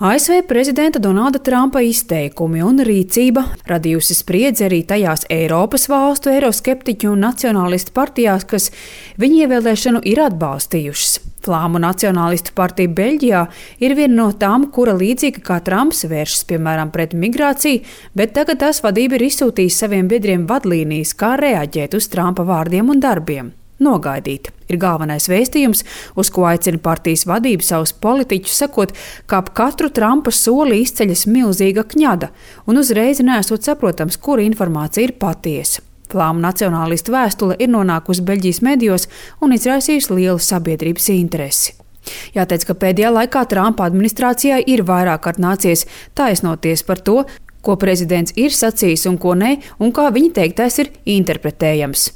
ASV prezidenta Donalda Trumpa izteikumi un rīcība radījusi spriedzi arī tajās Eiropas valstu eiroskeptiķu un nacionālistu partijās, kas viņa ievēlēšanu ir atbalstījušas. Flāmu nacionālistu partija Beļģijā ir viena no tām, kura līdzīgi kā Trumps vēršas piemēram pret migrāciju, bet tagad tās vadība ir izsūtījusi saviem biedriem vadlīnijas, kā reaģēt uz Trumpa vārdiem un darbiem. Nogaidīt ir galvenais vēstījums, uz ko aicina partijas vadība savus politiķus, sakot, ka ap katru Trumpa soli izceļas milzīga kņada, un uzreiz nesot saprotams, kura informācija ir patiesa. Flāmu nacionālistu vēstule ir nonākusi Beļģijas medijos un izraisījusi lielu sabiedrības interesi. Jāteic, ka pēdējā laikā Trumpa administrācijai ir vairāk kārt nācies taisnoties par to, ko prezidents ir sacījis un ko ne, un kā viņa teiktais ir interpretējams.